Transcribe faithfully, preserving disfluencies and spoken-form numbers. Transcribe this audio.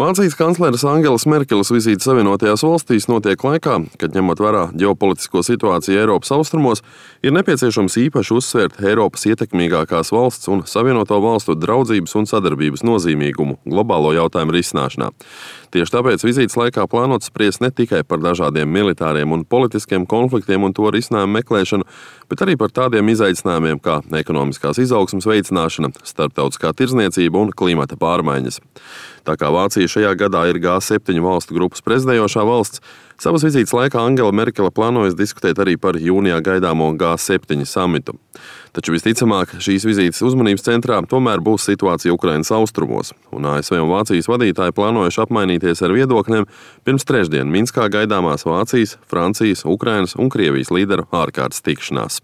Vācijas kancleres Angelas Merkeles vizīte Savienotajās valstīs notiek laikā, kad, ņemot vērā ģeopolitisko situāciju Eiropas austrumos, ir nepieciešams īpaši uzsvērt Eiropas ietekmīgākās valsts un Savienoto valstu draudzības un sadarbības nozīmīgumu globālo jautājumu risināšanā. Tieši tāpēc vizītes laikā plānots spriest ne tikai par dažādiem militāriem un politiskiem konfliktiem un to risinājumu meklēšanu, bet arī par tādiem izaicinājumiem kā ekonomiskās izaugsmes veicināšana, starptautiskā tirdzniecība un klimata pārmaiņas. Tā kā Vācija šajā gadā ir G septiņu valstu grupas prezidējošā valsts, savas vizītes laikā Angela Merkele plānojas diskutēt arī par jūnijā gaidāmo G septiņu samitu. Taču visticamāk šīs vizītes uzmanības centrā tomēr būs situācija Ukrainas austrumos, un A S V un Vācijas vadītāji plānojuši apmainīties ar viedokļiem pirms trešdien Minskā gaidāmās Vācijas, Francijas, Ukrainas un Krievijas līderu ārkārtas tikšanās.